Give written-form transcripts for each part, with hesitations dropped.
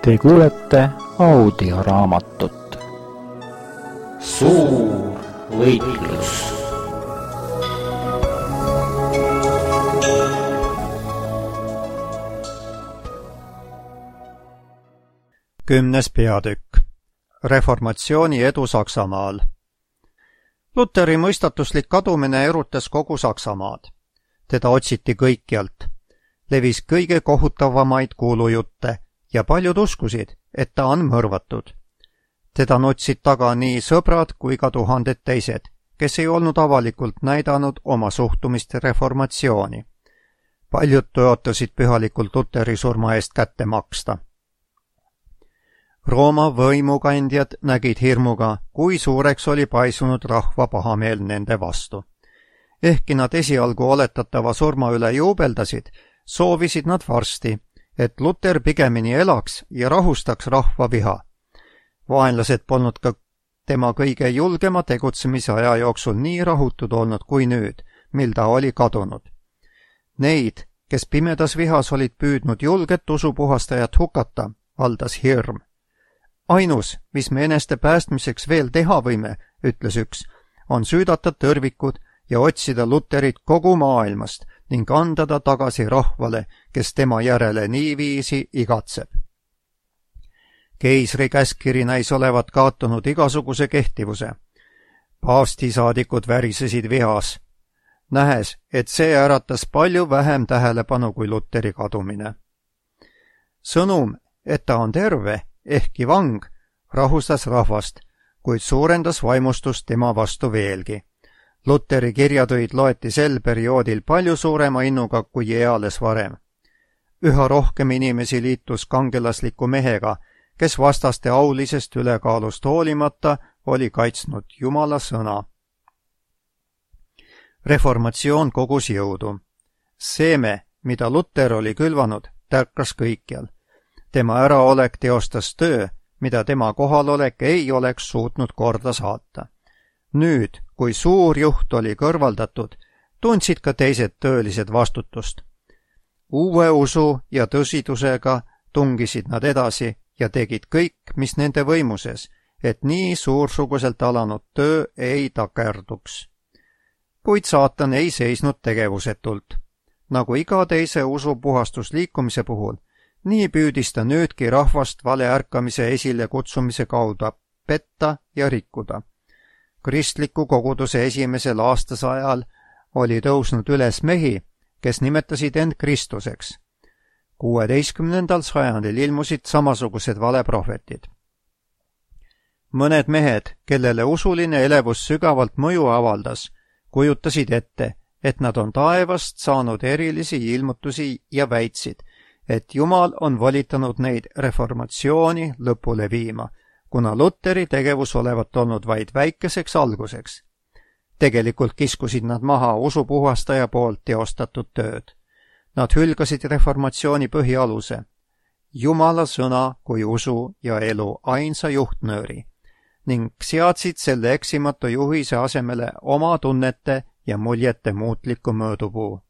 Te kuulete audioraamatut Suur võitlus. Kümnes peatükk. Reformatsiooni edu Saksamaal. Luteri mõistatuslik kadumine erutas kogu Saksamaad. Teda otsiti kõikjalt. Levis kõige kohutavamaid kuulujutte ja paljud uskusid, et ta on mõrvatud. Teda nutsid taga nii sõbrad kui ka tuhanded teised, kes ei olnud avalikult näidanud oma suhtumist reformatsiooni. Paljud tõotasid pühalikult Luteri surma eest kätte maksta. Rooma võimukandjad nägid hirmuga, kui suureks oli paisunud rahva pahameel nende vastu. Ehkki nad esialgu oletatava surma üle juubeldasid, soovisid nad varsti, et Luter pigemini elaks ja rahustaks rahva viha. Vaenlased polnud ka tema kõige julgema tegutsemise aja jooksul nii rahutud olnud kui nüüd, mil ta oli kadunud. Neid, kes pimedas vihas olid püüdnud julget usupuhastajat hukata, valdas hirm. Ainus, mis me eneste päästmiseks veel teha võime, ütles üks, on süüdata tõrvikud ja otsida Luterit kogu maailmast ning anda ta tagasi rahvale, kes tema järele niiviisi igatseb. Keisri käskkiri näis olevat kaotanud igasuguse kehtivuse. Paavstisaadikud värisesid vihas, nähes, et see äratas palju vähem tähelepanu kui Luteri kadumine. Sõnum, et ta on terve, ehkki vang, rahustas rahvast, kuid suurendas vaimustust tema vastu veelgi. Luteri kirjatöid loeti sel perioodil palju suurema innuga kui eales varem. Üha rohkem inimesi liitus kangelasliku mehega, kes vastaste aulisest ülekaalust hoolimata oli kaitsnud Jumala sõna. Reformatsioon kogus jõudu. Seeme, mida Luter oli külvanud, tärkas kõikjal. Tema äraolek teostas töö, mida tema kohalolek ei oleks suutnud korda saata. Nüüd, kui suur juht oli kõrvaldatud, tundsid ka teised töölised vastutust. Uue usu ja tõsidusega tungisid nad edasi ja tegid kõik, mis nende võimuses, et nii suursuguselt alanud töö ei takerduks. Kuid saatan ei seisnud tegevusetult. Nagu iga teise usupuhastusliikumise puhul, nii püüdis ta nüüdki rahvast valeärkamise esile kutsumise kaudu petta ja rikkuda. Kristliku koguduse esimesel aastasajal oli tõusnud üles mehi, kes nimetasid end Kristuseks. 16. sajandil ilmusid samasugused valeprohvetid. Mõned mehed, kellele usuline elevus sügavalt mõju avaldas, kujutasid ette, et nad on taevast saanud erilisi ilmutusi ja väitsid, et Jumal on volitanud neid reformatsiooni lõpule viima, kuna Luteri tegevus olevat olnud vaid väikeseks alguseks. Tegelikult kiskusid nad maha usupuhastaja poolt teostatud tööd. Nad hülgasid reformatsiooni põhialuse, Jumala sõna kui usu ja elu ainsa juhtnööri, ning seadsid selle eksimatu juhise asemele oma tunnete ja muljete muutliku mõõdupuu.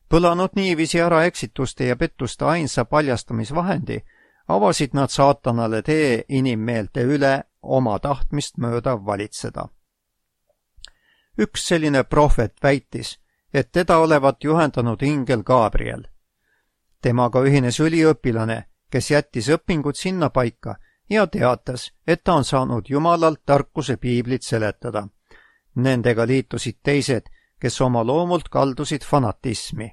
Põlanud niiviisi ära eksituste ja pettuste ainsa paljastamisvahendi, avasid nad saatanale tee inimmeelte üle oma tahtmist mööda valitseda. Üks selline prohvet väitis, et teda olevat juhendanud ingel Gabriel. Temaga ühines üliõpilane, kes jättis õpingud sinna paika ja teatas, et ta on saanud Jumalalt tarkuse piiblit seletada. Nendega liitusid teised, kes oma loomult kaldusid fanatismi.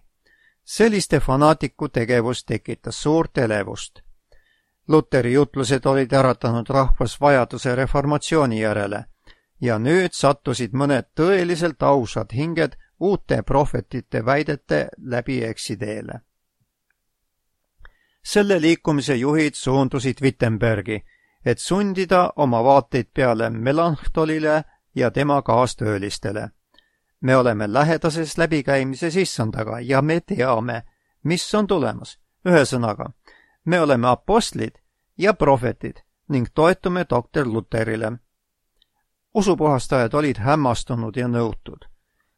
Selliste fanaatiku tegevus tekitas suurt elevust. Luteri jutlused olid äratanud rahvas vajaduse reformatsiooni järele ja nüüd sattusid mõned tõeliselt ausad hinged uute prohvetite väidete läbi eksiteele. Selle liikumise juhid suundusid Wittenbergi, et sundida oma vaateid peale Melanctolile ja tema kaastöölistele. Me oleme lähedases läbikäimises issandaga ja me teame, mis on tulemas. Ühesõnaga, me oleme apostlid ja prohvetid ning toetume doktor Luterile. Usupuhastajad olid hämmastunud ja nõutud.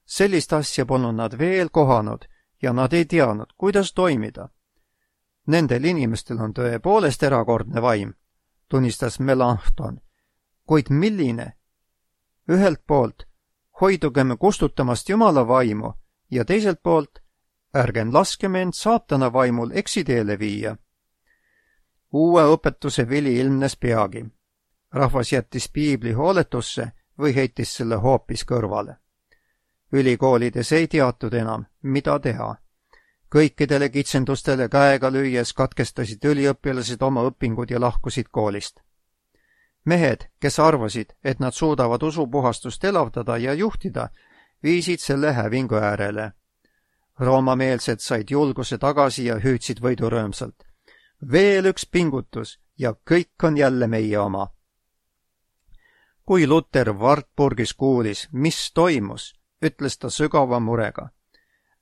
Sellist asja polnud nad veel kohanud ja nad ei teadnud, kuidas toimida. Nendel inimestel on tõepoolest erakordne vaim, tunnistas Melanchthon, kuid milline? Ühelt poolt hoidugem kustutamast Jumala vaimu ja teiselt poolt ärgem laskem end saatana vaimul eksiteele viia. Uue õpetuse vili ilmnes peagi. Rahvas jättis piibli hooletusse või heitis selle hoopis kõrvale. Ülikoolides ei teatud enam, mida teha. Kõikidele kitsendustele käega lüües katkestasid üliõpilased oma õpingud ja lahkusid koolist. Mehed, kes arvasid, et nad suudavad usupuhastust elavdada ja juhtida, viisid selle hävingu äärele. Roomameelsed said julguse tagasi ja hüüdsid võidurõõmsalt. Veel üks pingutus ja kõik on jälle meie oma. Kui Luther Wartburgis kuulis, mis toimus, ütles ta sügava murega.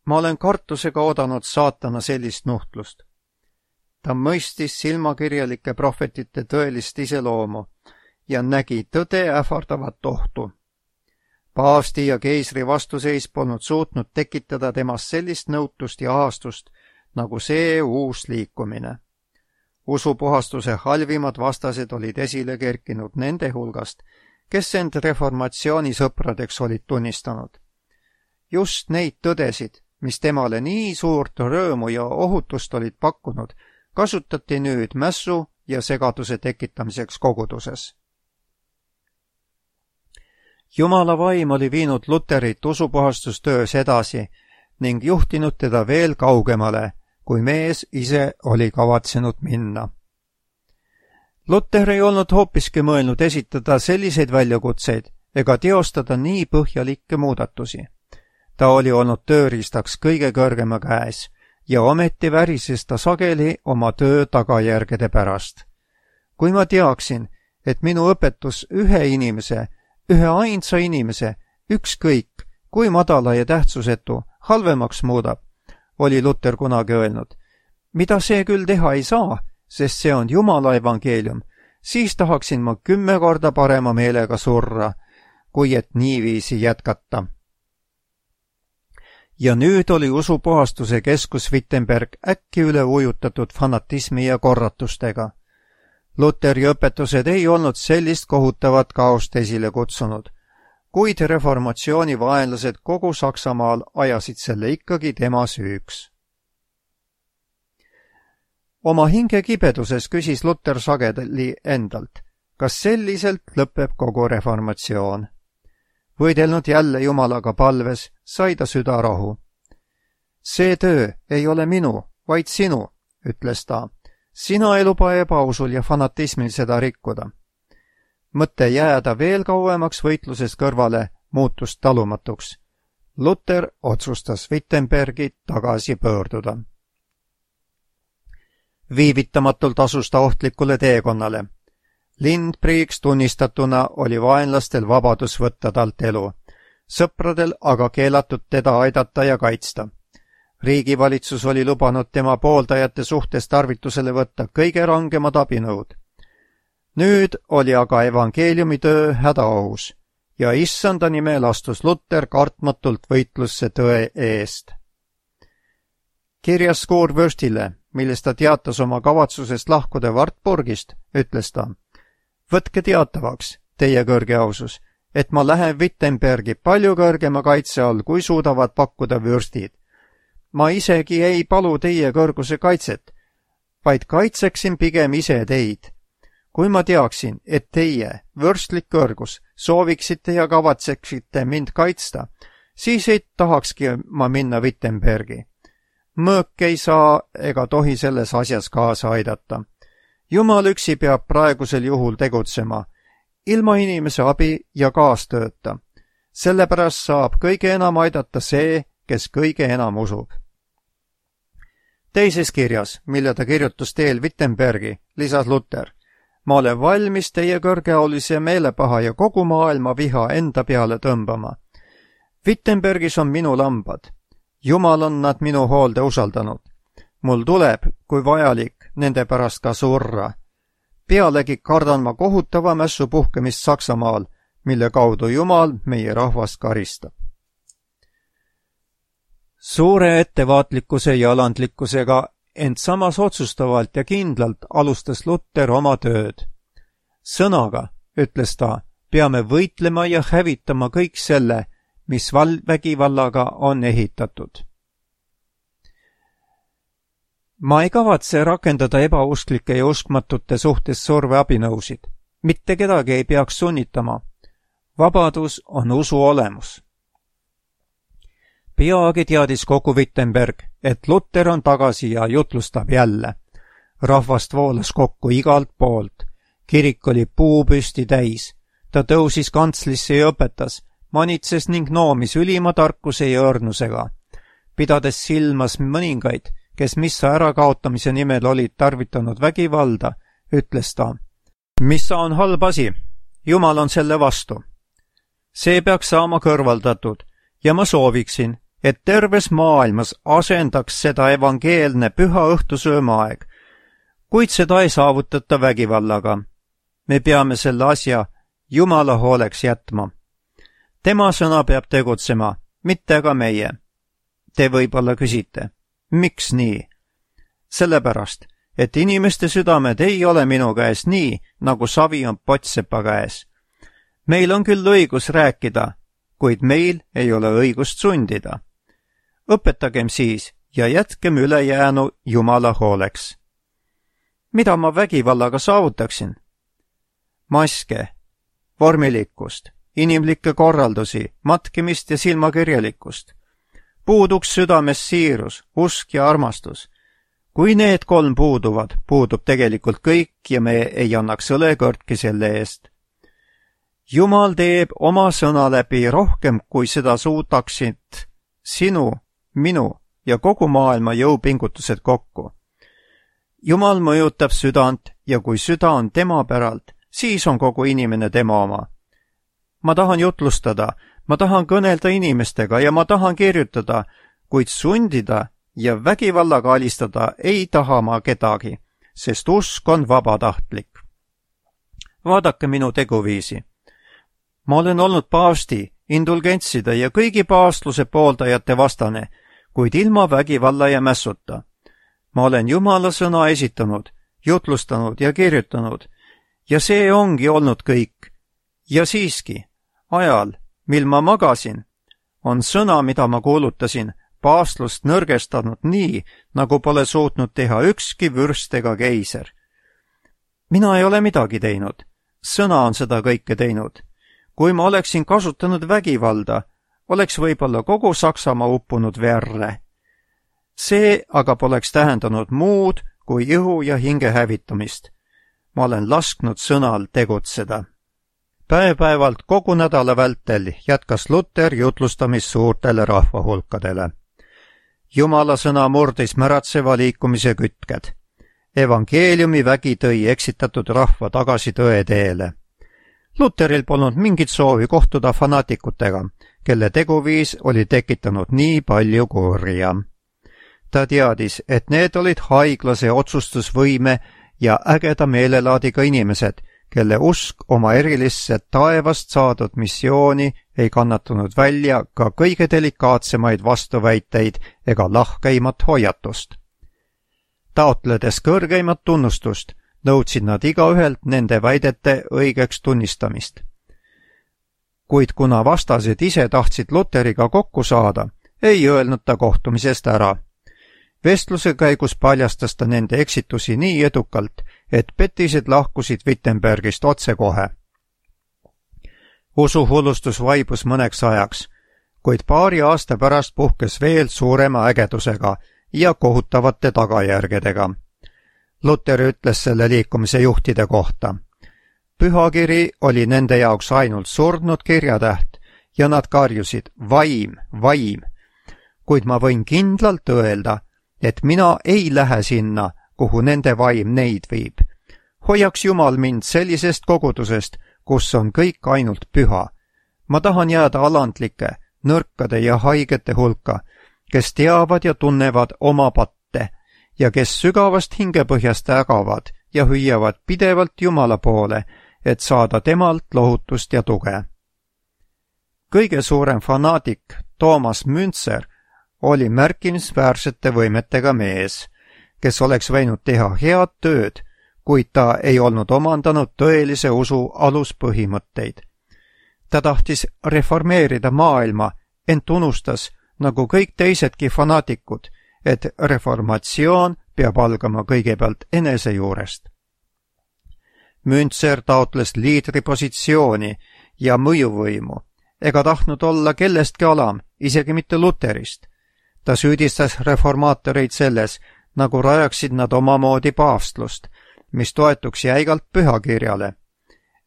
Ma olen kartusega oodanud saatana sellist nuhtlust. Ta mõistis silmakirjalike prohvetite tõelist iseloomu ja nägi tõde ähvardavat ohtu. Paavsti ja keisri vastuseis polnud suutnud tekitada temast sellist nõutust ja ahastust, nagu see uus liikumine. Usupuhastuse halvimad vastased olid esile kerkinud nende hulgast, kes end reformatsiooni sõpradeks olid tunnistanud. Just neid tõdesid, mis temale nii suurt rõõmu ja ohutust olid pakkunud, kasutati nüüd mässu ja segaduse tekitamiseks koguduses. Jumala vaim oli viinud Luterit usupuhastustöös edasi ning juhtinud teda veel kaugemale, kui mees ise oli kavatsenud minna. Luter ei olnud hoopiski mõelnud esitada selliseid väljakutseid ega teostada nii põhjalikke muudatusi. Ta oli olnud tööriistaks kõige kõrgema käes ja ometi värises ta sageli oma töö tagajärgede pärast. Kui ma teaksin, et minu õpetus ühe ainsa inimese, ükskõik, kui madala ja tähtsusetu, halvemaks muudab, oli Luter kunagi öelnud. Mida see küll teha ei saa, sest see on Jumala evangeelium, siis tahaksin ma 10 korda parema meelega surra, kui et niiviisi jätkata. Ja nüüd oli usupuhastuse keskus Wittenberg äkki üle ujutatud fanatismi ja korratustega. Luteri õpetused ei olnud sellist kohutavat kaost esile kutsunud, kuid reformatsiooni vaenlased kogu Saksamaal ajasid selle ikkagi tema süüks. Oma hinge kibeduses küsis Luter sageli endalt, kas selliselt lõpeb kogu reformatsioon. Võidelnud jälle Jumalaga palves, sai ta südarahu. See töö ei ole minu, vaid sinu, ütles ta. Sina ei luba ebausul ja fanatismil seda rikkuda. Mõte jääda veel kauemaks võitlusest kõrvale muutus talumatuks. Luter otsustas Wittenbergi tagasi pöörduda. Viivitamatult asus ta ohtlikule teekonnale. Lindbriiks tunnistatuna oli vaenlastel vabadus võtta talt elu, sõpradel aga keelatud teda aidata ja kaitsta. Riigivalitsus oli lubanud tema pooldajate suhtes tarvitusele võtta kõige rangemad abinõud. Nüüd oli aga evangeeliumitöö hädaohus ja issanda nimel astus Luter kartmatult võitlusse tõe eest. Kirjas Kurvürstile, milles ta teatas oma kavatsusest lahkuda Wartburgist, ütles ta: Võtke teatavaks, teie kõrge ausus, et ma lähen Wittenbergi palju kõrgema kaitse all, kui suudavad pakkuda vürstid. Ma isegi ei palu teie kõrguse kaitset, vaid kaitseksin pigem ise teid. Kui ma teaksin, et teie, vürstlik kõrgus, sooviksite ja kavatseksite mind kaitsta, siis ei tahakski ma minna Wittenbergi. Mõõk ei saa ega tohi selles asjas kaasa aidata. Jumal üksi peab praegusel juhul tegutsema, ilma inimese abi ja kaastööta. Sellepärast saab kõige enam aidata see, kes kõige enam usub. Teises kirjas, mille ta kirjutas teel Wittenbergi, lisas Luter: Ma olen valmis teie kõrgeaulise meelepaha ja kogu maailma viha enda peale tõmbama. Wittenbergis on minu lambad. Jumal on nad minu hoolde usaldanud. Mul tuleb, kui vajalik, nende pärast ka surra. Pealegi kardan ma kohutava mässu puhkemist Saksamaal, mille kaudu Jumal meie rahvast karistab. Suure ettevaatlikkuse ja alandlikkusega, ent samas otsustavalt ja kindlalt alustas Luter oma tööd. Sõnaga, ütles ta, peame võitlema ja hävitama kõik selle, mis vägivallaga on ehitatud. Ma ei kavatse rakendada ebausklike ja uskmatute suhtes surveabinõusid. Mitte kedagi ei peaks sunnitama. Vabadus on usu olemus. Peagi teadis kogu Wittenberg, et Luter on tagasi ja jutlustab jälle. Rahvast voolas kokku igalt poolt. Kirik oli puupüsti täis. Ta tõusis kantslisse ja õpetas, manitses ning noomis ülima tarkuse ja õrnusega. Pidades silmas mõningaid, kes missa ärakaotamise nimel olid tarvitanud vägivalda, ütles ta, missa on halb asi, Jumal on selle vastu. See peaks saama kõrvaldatud ja ma sooviksin, et terves maailmas asendaks seda evangeelne püha õhtusöömaaeg, kuid seda ei saavutata vägivallaga. Me peame selle asja Jumala hooleks jätma. Tema sõna peab tegutsema, mitte aga meie. Te võib-olla küsite, miks nii? Sellepärast, et inimeste südamed ei ole minu käes nii, nagu savi on pottsepa käes. Meil on küll õigus rääkida, kuid meil ei ole õigust sundida. Õpetagem siis ja jätkem ülejäänu Jumala hooleks. Mida ma vägivallaga saavutaksin? Maske, vormilikkust, inimlikke korraldusi, matkimist ja silmakirjalikkust. Puuduks südames siirus, usk ja armastus. Kui need kolm puuduvad, puudub tegelikult kõik ja me ei annaks õlekõrtki selle eest. Jumal teeb oma sõna läbi rohkem, kui seda suudaksid sinu, minu ja kogu maailma jõupingutused kokku. Jumal mõjutab südant ja kui süda on tema päralt, siis on kogu inimene tema oma. Ma tahan jutlustada, ma tahan kõnelda inimestega ja ma tahan kirjutada, kuid sundida ja vägivallaga alistada ei taha ma kedagi, sest usk on vabatahtlik. Vaadake minu teguviisi. Ma olen olnud paavsti, indulgentside ja kõigi paavstluse pooldajate vastane, kuid ilma vägivalla ja mässuta. Ma olen Jumala sõna esitanud, jutlustanud ja kirjutanud ja see ongi olnud kõik. Ja siiski, ajal, mil ma magasin, on sõna, mida ma kuulutasin, paavstlust nõrgestanud nii, nagu pole suutnud teha ükski vürst ega keiser. Mina ei ole midagi teinud. Sõna on seda kõike teinud. Kui ma oleksin kasutanud vägivalda, oleks võib-olla kogu Saksamaa uppunud verre. See aga poleks tähendanud muud kui ihu ja hinge hävitamist. Ma olen lasknud sõnal tegutseda. Päev-päevalt kogu nädala vältel jätkas Luter jutlustamist suurtele rahvahulkadele. Jumala sõna murdis märatseva liikumise kütked. Evangeeliumi vägi tõi eksitatud rahva tagasi tõe teele. Luteril polnud mingit soovi kohtuda fanaatikutega, kelle teguviis oli tekitanud nii palju kurja. Ta teadis, et need olid haiglase otsustusvõime ja ägeda meelelaadiga inimesed, kelle usk oma erilisse taevast saadud missiooni ei kannatanud välja ka kõige delikaatsemaid vastuväiteid ega lahkeimat hoiatust. Taotledes kõrgeimat tunnustust, nõudsid nad igaühelt nende väidete õigeks tunnistamist. Kuid kuna vastased ise tahtsid Luteriga kokku saada, ei öelnud ta kohtumisest ära. Vestluse käigus paljastas ta nende eksitusi nii edukalt, et petised lahkusid Wittenbergist otsekohe. Usuhullustus vaibus mõneks ajaks, kuid paari aasta pärast puhkes veel suurema ägedusega ja kohutavate tagajärgedega. Luter ütles selle liikumise juhtide kohta. Pühakiri oli nende jaoks ainult surnud kirjatäht ja nad karjusid vaim, vaim, kuid ma võin kindlalt öelda, et mina ei lähe sinna, kuhu nende vaim neid viib. Hoiaks Jumal mind sellisest kogudusest, kus on kõik ainult püha. Ma tahan jääda alandlike, nõrkade ja haigete hulka, kes teavad ja tunnevad oma patte ja kes sügavast hingepõhjast ägavad ja hüüavad pidevalt Jumala poole, et saada temalt lohutust ja tuge. Kõige suurem fanaatik Thomas Münzer oli märkimisväärsete võimetega mees, kes oleks võinud teha head tööd, kuid ta ei olnud omandanud tõelise usu aluspõhimõtteid. Ta tahtis reformeerida maailma, ent unustas, nagu kõik teisedki fanaatikud, et reformatsioon peab algama kõigepealt enese juurest. Münzer taotles liidripositsiooni ja mõjuvõimu, ega tahtnud olla kellestki alam, isegi mitte Luterist. Ta süüdistas reformaatoreid selles, nagu rajaksid nad omamoodi paavstlust, mis toetuks jäigalt pühakirjale.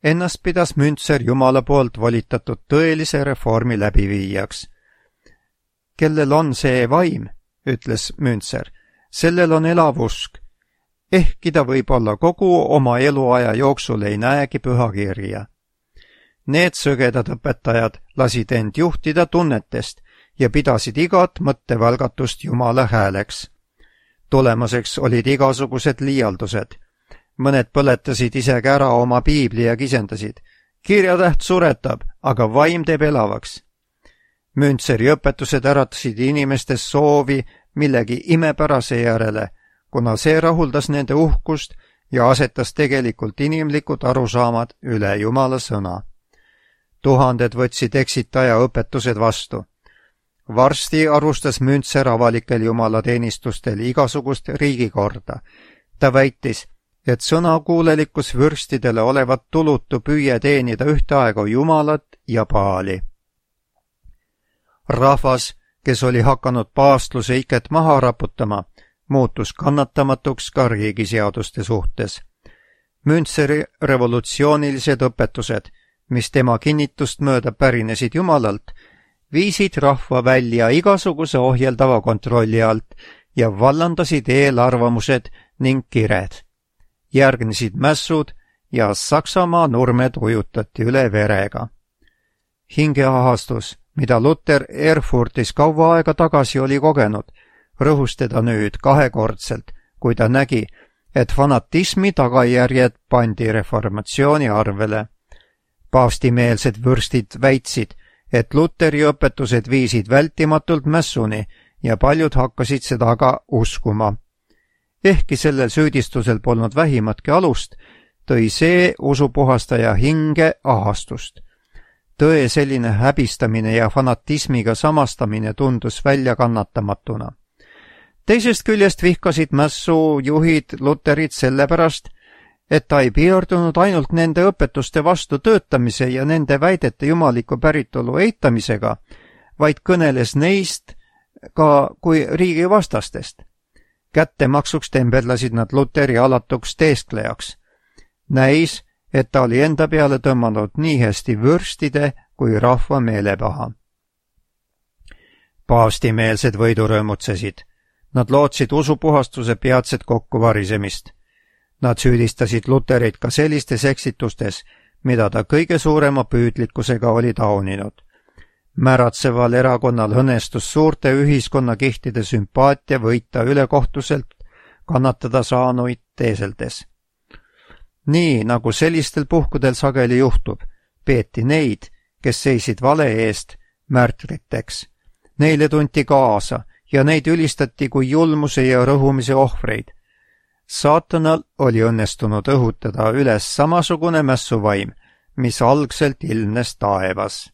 Ennast pidas Münzer Jumala poolt volitatud tõelise reformi läbiviijaks. Kellel on see vaim, ütles Münzer, sellel on elav usk. Ehkki ta võib-olla kogu oma eluaja jooksul ei näegi pühakirja. Need sõgedad õpetajad lasid end juhtida tunnetest ja pidasid igat mõttevälgatust Jumala hääleks. Tulemuseks olid igasugused liialdused. Mõned põletasid isegi ära oma piibli ja kisendasid. Kirjatäht suretab, aga vaim teeb elavaks. Münzeri õpetused äratasid inimestes soovi millegi imepärase järele, kuna see rahuldas nende uhkust ja asetas tegelikult inimlikud arusaamad üle Jumala sõna. Tuhanded võtsid eksitaja õpetused vastu. Varsti arvustas Münzer avalikel jumalateenistustel igasugust riigikorda. Ta väitis, et sõnakuulelikkus vürstidele olevat tulutu püüe teenida ühtaegu Jumalat ja Paali. Rahvas, kes oli hakanud paavstluse iket maha raputama, muutus kannatamatuks ka riigiseaduste suhtes. Münzeri revolutsioonilised õpetused, mis tema kinnitust mööda pärinesid Jumalalt, viisid rahva välja igasuguse ohjeldava kontrolli alt ja vallandasid eelarvamused ning kired. Järgnesid mässud ja Saksamaa nurmed ujutati üle verega. Hingeahastus, mida Luter Erfurtis kaua aega tagasi oli kogenud, rõhus teda nüüd kahekordselt, kui ta nägi, et fanatismi tagajärjed pandi reformatsiooni arvele. Paavstimeelsed vürstid väitsid, et Luteri õpetused viisid vältimatult mässuni ja paljud hakkasid seda ka uskuma. Ehkki sellel süüdistusel polnud vähimatki alust, tõi see usupuhastaja hinge ahastust. Tõe selline häbistamine ja fanatismiga samastamine tundus väljakannatamatuna. Teisest küljest vihkasid mässu juhid Luterit sellepärast, et ta ei piirdunud ainult nende õpetuste vastu töötamise ja nende väidete jumaliku päritolu eitamisega, vaid kõneles neist ka kui riigivastastest. Kättemaksuks tembedlasid nad Luteri alatuks teesklejaks. Näis, et ta oli enda peale tõmmanud nii hästi vürstide kui rahva meelepaha. Paavstimeelsed võidurõõmutsesid. Nad lootsid usupuhastuse peatset kokkuvarisemist. Nad süüdistasid Luterit ka sellistes eksitustes, mida ta kõige suurema püüdlikkusega oli tauninud. Märatseval erakonnal õnnestus suurte ühiskonnakihtide sümpaatia võita ülekohtuselt kannatada saanuid teeseldes. Nii, nagu sellistel puhkudel sageli juhtub, peeti neid, kes seisid vale eest, märtriteks. Neile tunti kaasa ja neid ülistati kui julmuse ja rõhumise ohvreid. Saatanal oli õnnestunud õhutada üles samasugune mässuvaim, mis algselt ilmnes taevas.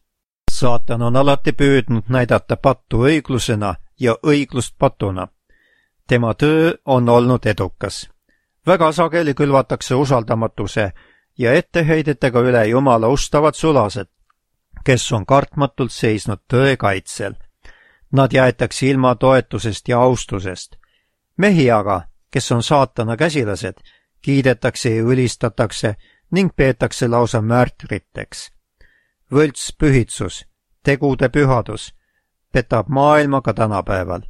Saatan on alati püüdnud näidata pattu õiglusena ja õiglust patuna. Tema töö on olnud edukas. Väga sageli külvatakse usaldamatuse ja etteheidetega üle Jumala ustavad sulased, kes on kartmatult seisnud tõe kaitsel. Nad jäetakse ilma toetusest ja austusest. Mehi aga, kes on saatana käsilased, kiidetakse ja ülistatakse ning peetakse lausa märtriteks. Võlts pühitsus, tegude pühadus, petab maailma ka tänapäeval.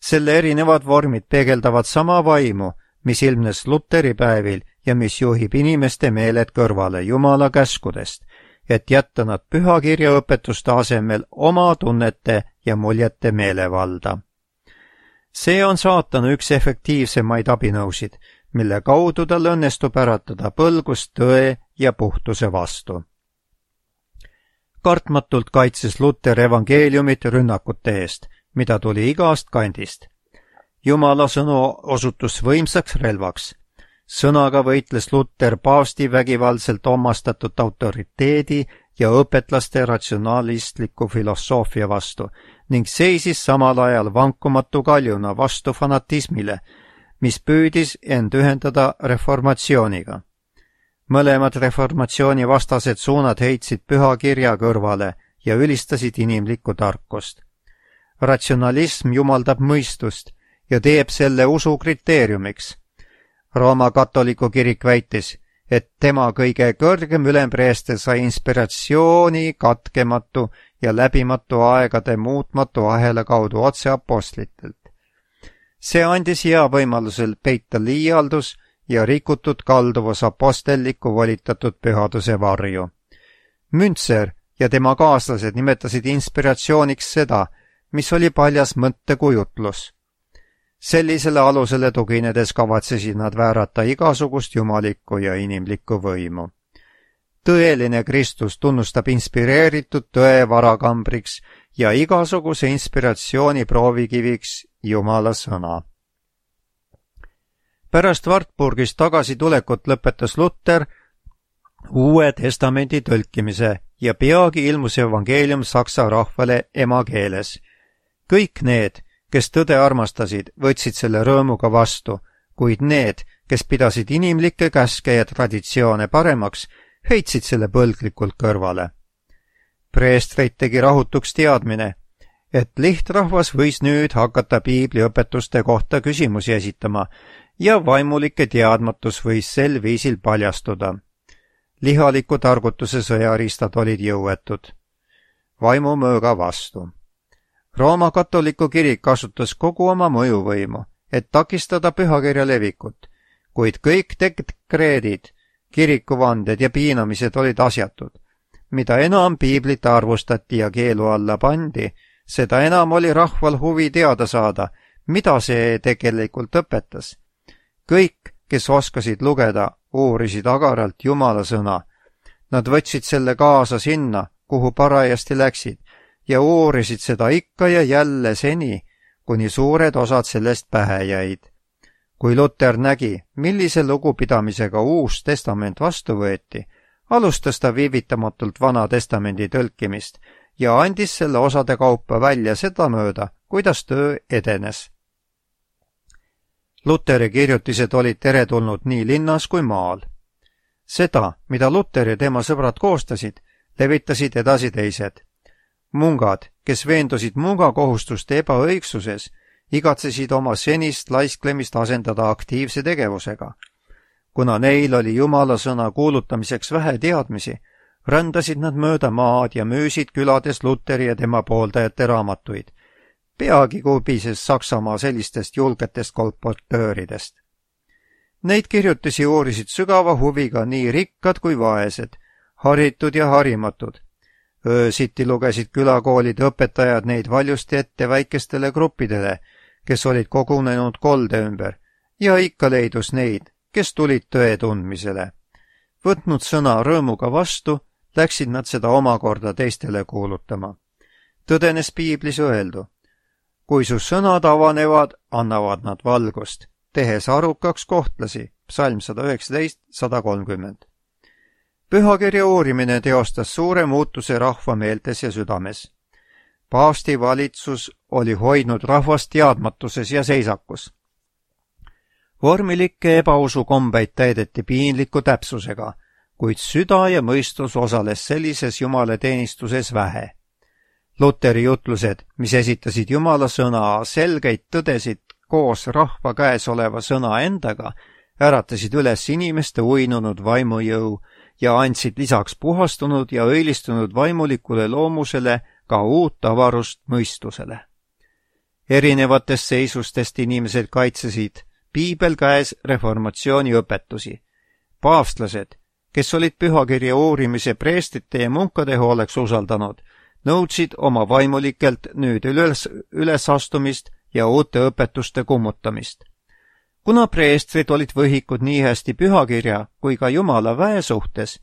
Selle erinevad vormid peegeldavad sama vaimu, mis ilmnes Luteri päevil ja mis juhib inimeste meeled kõrvale Jumala käskudest, et jätta nad pühakirja õpetuste asemel oma tunnete ja muljete meelevalda. See on saatana üks efektiivsemaid abinõusid, mille kaudu tal õnnestub äratada põlgust tõe ja puhtuse vastu. Kartmatult kaitses Luter evangeeliumit rünnakute eest, mida tuli igast kandist. Jumala sõnu osutus võimsaks relvaks. Sõnaga võitles Luter paavsti vägivaldselt omastatud autoriteedi ja õpetlaste ratsionalistliku filosoofia vastu ning seisis samal ajal vankumatu kaljuna vastu fanatismile, mis püüdis end ühendada reformatsiooniga. Mõlemad reformatsiooni vastased suunad heitsid püha kirja kõrvale ja ülistasid inimlikku tarkust. Ratsionalism jumaldab mõistust ja teeb selle usu kriteeriumiks. Rooma katoliku kirik väitis, et tema kõige kõrgem ülempreester sai inspiratsiooni katkematu ja läbimatu aegade muutmatu ahela kaudu otse apostlitelt. See andis hea võimalusel peita liialdus ja rikutud kalduvus apostelliku volitatud pühaduse varju. Münzer ja tema kaaslased nimetasid inspiratsiooniks seda, mis oli paljas mõttekujutlus. Sellisele alusele tuginedes kavatsesid nad väärata igasugust jumalikku ja inimlikku võimu. Tõeline Kristus tunnustab inspireeritud tõe varakambriks ja igasuguse inspiratsiooni proovikiviks Jumala sõna. Pärast Wartburgist tagasitulekut lõpetas Luter Uue Testamendi tõlkimise ja peagi ilmus evangeelium saksa rahvale emakeeles. Kõik need, kes tõde armastasid, võtsid selle rõõmuga vastu, kuid need, kes pidasid inimlikke käske ja traditsioone paremaks, heitsid selle põlglikult kõrvale. Preestreid tegi rahutuks teadmine, et lihtrahvas võis nüüd hakata piibliõpetuste kohta küsimusi esitama ja vaimulike teadmatus võis sel viisil paljastuda. Lihaliku targutuse sõjariistad olid jõuetud. Vaimumööga vastu. Rooma katoliku kirik kasutas kogu oma mõjuvõimu, et takistada pühakirja levikut, kuid kõik dekreedid, kirikuvanded ja piinamised olid asjatud. Mida enam piiblit arvustati ja keelu alla pandi, seda enam oli rahval huvi teada saada, mida see tegelikult õpetas. Kõik, kes oskasid lugeda, uurisid agaralt Jumala sõna. Nad võtsid selle kaasa sinna, kuhu parajasti läksid, ja uurisid seda ikka ja jälle seni, kuni suured osad sellest pähe jäid. Kui Luter nägi, millise lugupidamisega Uus Testament vastu võeti, alustas ta viivitamatult Vana Testamendi tõlkimist ja andis selle osade kaupa välja sedamööda, kuidas töö edenes. Luteri kirjutised olid teretulnud nii linnas kui maal. Seda, mida Luter ja tema sõbrad koostasid, levitasid edasi teised. Mungad, kes veendusid mungakohustuste ebaõigsuses, igatsesid oma senist laisklemist asendada aktiivse tegevusega. Kuna neil oli Jumala sõna kuulutamiseks vähe teadmisi, rändasid nad mööda maad ja müüsid külades Luteri ja tema pooldajate raamatuid. Peagi kubises Saksamaa sellistest julgetest kolportööridest. Neid kirjutisi uurisid sügava huviga nii rikkad kui vaesed, haritud ja harimatud. Öösiti lugesid külakoolide õpetajad neid valjusti ette väikestele gruppidele, kes olid kogunenud kolde ümber, ja ikka leidus neid, kes tulid tõe tundmisele. Võtnud sõna rõõmuga vastu, läksid nad seda omakorda teistele kuulutama. Tõdenes piiblis öeldu. Kui su sõnad avanevad, annavad nad valgust, tehes arukaks kohtlasi, psalm 119-130. Pühakirja uurimine teostas suure muutuse rahva meeltes ja südames. Paavsti valitsus oli hoidnud rahvast teadmatuses ja seisakus. Vormilikke ebausukombeid täideti piinliku täpsusega, kuid süda ja mõistus osales sellises jumalateenistuses vähe. Luteri jutlused, mis esitasid Jumala sõna selgeid tõdesid koos rahva käes oleva sõna endaga, äratasid üles inimeste uinunud vaimujõu ja andsid lisaks puhastunud ja õilistunud vaimulikule loomusele ka uut avarust mõistusele. Erinevatest seisustest inimesed kaitsesid piibel käes reformatsiooni õpetusi. Paavstlased, kes olid pühakirja uurimise preestrite ja munkade hooleks usaldanud, nõudsid oma vaimulikelt nüüd ülesastumist ja uute õpetuste kummutamist. Kuna preestrid olid võhikud nii hästi pühakirja kui ka Jumala väe suhtes,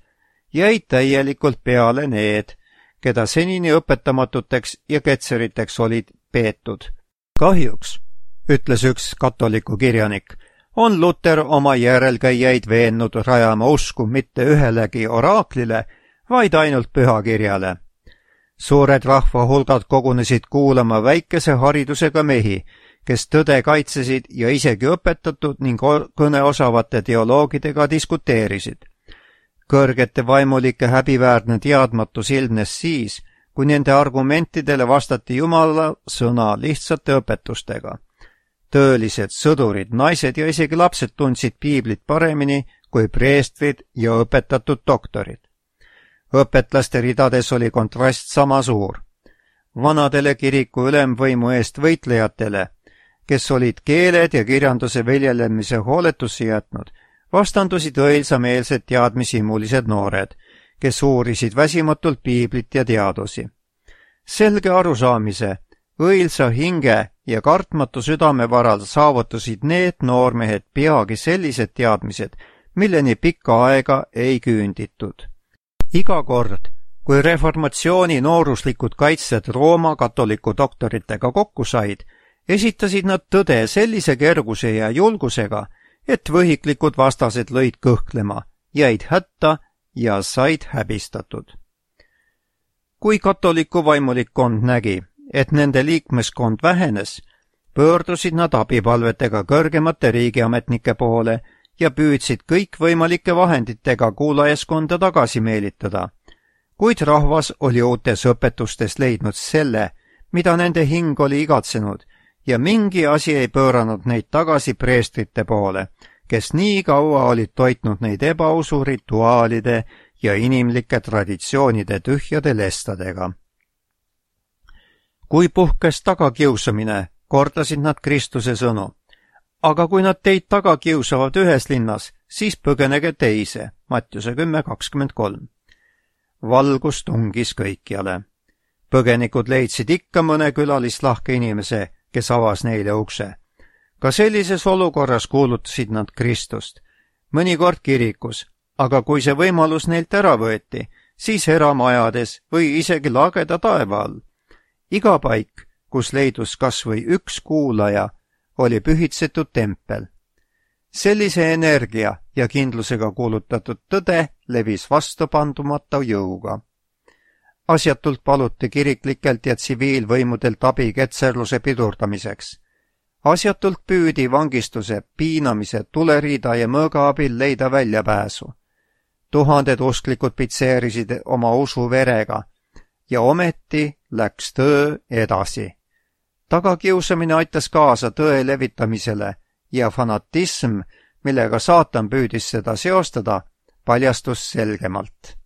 jäid täielikult peale need, keda senini õpetamatuteks ja ketseriteks olid peetud. Kahjuks, ütles üks katoliku kirjanik, on Luter oma järelkäijaid veennud rajama usku mitte ühelegi oraaklile, vaid ainult pühakirjale. Suured rahvahulgad kogunesid kuulama väikese haridusega mehi, kes tõde kaitsesid ja isegi õpetatud ning kõneosavate teoloogidega diskuteerisid. Kõrgete vaimulike häbiväärne teadmatus ilmnes siis, kui nende argumentidele vastati Jumala sõna lihtsate õpetustega. Tõelised sõdurid, naised ja isegi lapsed tundsid piiblit paremini kui preestrid ja õpetatud doktorid. Õpetlaste ridades oli kontrast sama suur. Vanadele kiriku ülemvõimu eest võitlejatele, kes olid keeled ja kirjanduse viljelemise hooletusse jätnud, vastandusid õilsameelsed teadmishimulised noored, kes uurisid väsimatult piiblit ja teadusi. Selge arusaamise, õilsa hinge ja kartmatu südame varal saavutasid need noormehed peagi sellised teadmised, milleni pikka aega ei küünditud. Iga kord, kui reformatsiooni nooruslikud kaitsjad Rooma katoliku doktoritega kokku said, esitasid nad tõde sellise kerguse ja julgusega, et võhiklikud vastased lõid kõhklema, jäid hätta ja said häbistatud. Kui katoliku vaimulikkond nägi, et nende liikmeskond vähenes, pöördusid nad abipalvetega kõrgemate riigiametnike poole ja püüdsid kõikvõimalike vahenditega kuulajaskonda tagasi meelitada. Kuid rahvas oli uutes õpetustes leidnud selle, mida nende hing oli igatsenud, ja mingi asi ei pööranud neid tagasi preestrite poole, kes nii kaua olid toitnud neid ebausu rituaalide ja inimlike traditsioonide tühjade lestadega. Kui puhkes tagakiusamine, kordasid nad Kristuse sõnu. Aga kui nad teid taga kiusavad ühes linnas, siis põgenege teise, Mattiuse 10:23. Valgus tungis kõikjale. Põgenikud leidsid ikka mõne külalislahke inimese, kes avas neile ukse. Ka sellises olukorras kuulutasid nad Kristust, mõnikord kirikus, aga kui see võimalus neilt ära võeti, siis eramajades või isegi lageda taeva all. Iga paik, kus leidus kas või üks kuulaja, oli pühitsetud tempel. Sellise energia ja kindlusega kuulutatud tõde levis vastupandumata jõuga. Asjatult paluti kiriklikelt ja tsiviilvõimudelt abi ketserluse pidurdamiseks. Asjatult püüdi vangistuse, piinamise, tuleriida ja mõõga abil leida väljapääsu. Tuhanded usklikud pitseerisid oma usu verega ja ometi läks töö edasi. Tagakiusamine aitas kaasa tõe levitamisele ja fanatism, millega saatan püüdis seda seostada, paljastus selgemalt.